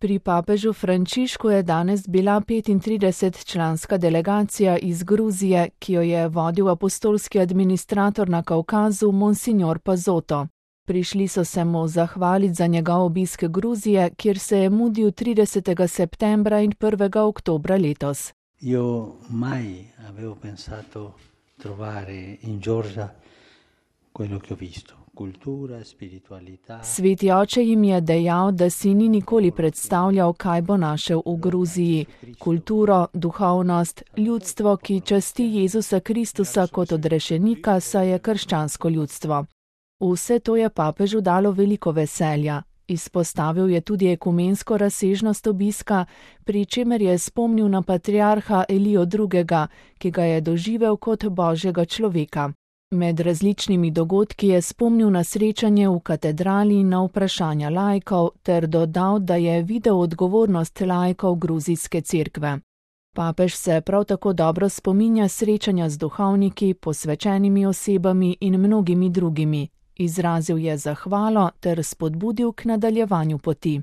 Pri papežu Frančišku je danes bila 35-članska delegacija iz Gruzije, ki jo je vodil apostolski administrator na Kavkazu Monsignor Pazotto. Prišli so se mu zahvaliti za njegov obisk Gruzije, kjer se je mudil 30. septembra in 1. oktobra letos. Io mai avevo pensato trovare in Georgia quello che ho visto. Sveti oče jim je dejal, da si ni nikoli predstavljal, kaj bo našel v Gruziji. Kulturo, duhovnost, ljudstvo, ki časti Jezusa Kristusa kot odrešenika, saj je krščansko ljudstvo. Vse to je papežu dalo veliko veselja. Izpostavil je tudi ekumensko razsežnost obiska, pri čemer je spomnil na patriarha Elijo II., ki ga je doživel kot božjega človeka. Med različnimi dogodki je spomnil na srečanje v katedrali in na vprašanja laikov ter dodal, da je videl odgovornost laikov gruzijske cerkve. Papež se prav tako dobro spominja srečanja z duhovniki, posvečenimi osebami in mnogimi drugimi. Izrazil je zahvalo ter spodbudil k nadaljevanju poti.